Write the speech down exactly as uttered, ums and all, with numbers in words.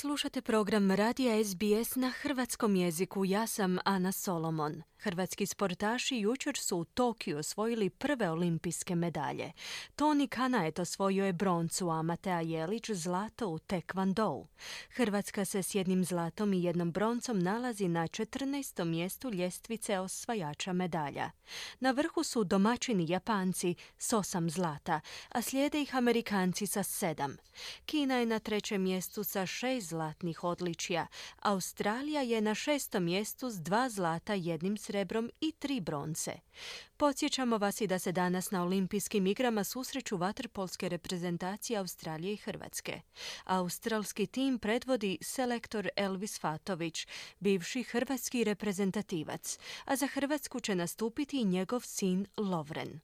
Slušate program Radija S B S na hrvatskom jeziku. Ja sam Ana Solomon. Hrvatski sportaši jučer su u Tokiju osvojili prve olimpijske medalje. Toni Kanaet osvojio je broncu, a Matea Jelić zlato u tekvandou. Hrvatska se s jednim zlatom i jednom broncom nalazi na četrnaestom mjestu ljestvice osvajača medalja. Na vrhu su domaćini Japanci s osam zlata, a slijede ih Amerikanci sa sedam. Kina je na trećem mjestu sa šest zlatnih odličja. Australija je na šestom mjestu s dva zlata, jednim srebrom i tri bronce. Podsjećamo vas i da se danas na olimpijskim igrama susreću vaterpolske reprezentacije Australije i Hrvatske. Australski tim predvodi selektor Elvis Fatović, bivši hrvatski reprezentativac, a za Hrvatsku će nastupiti i njegov sin Lovren.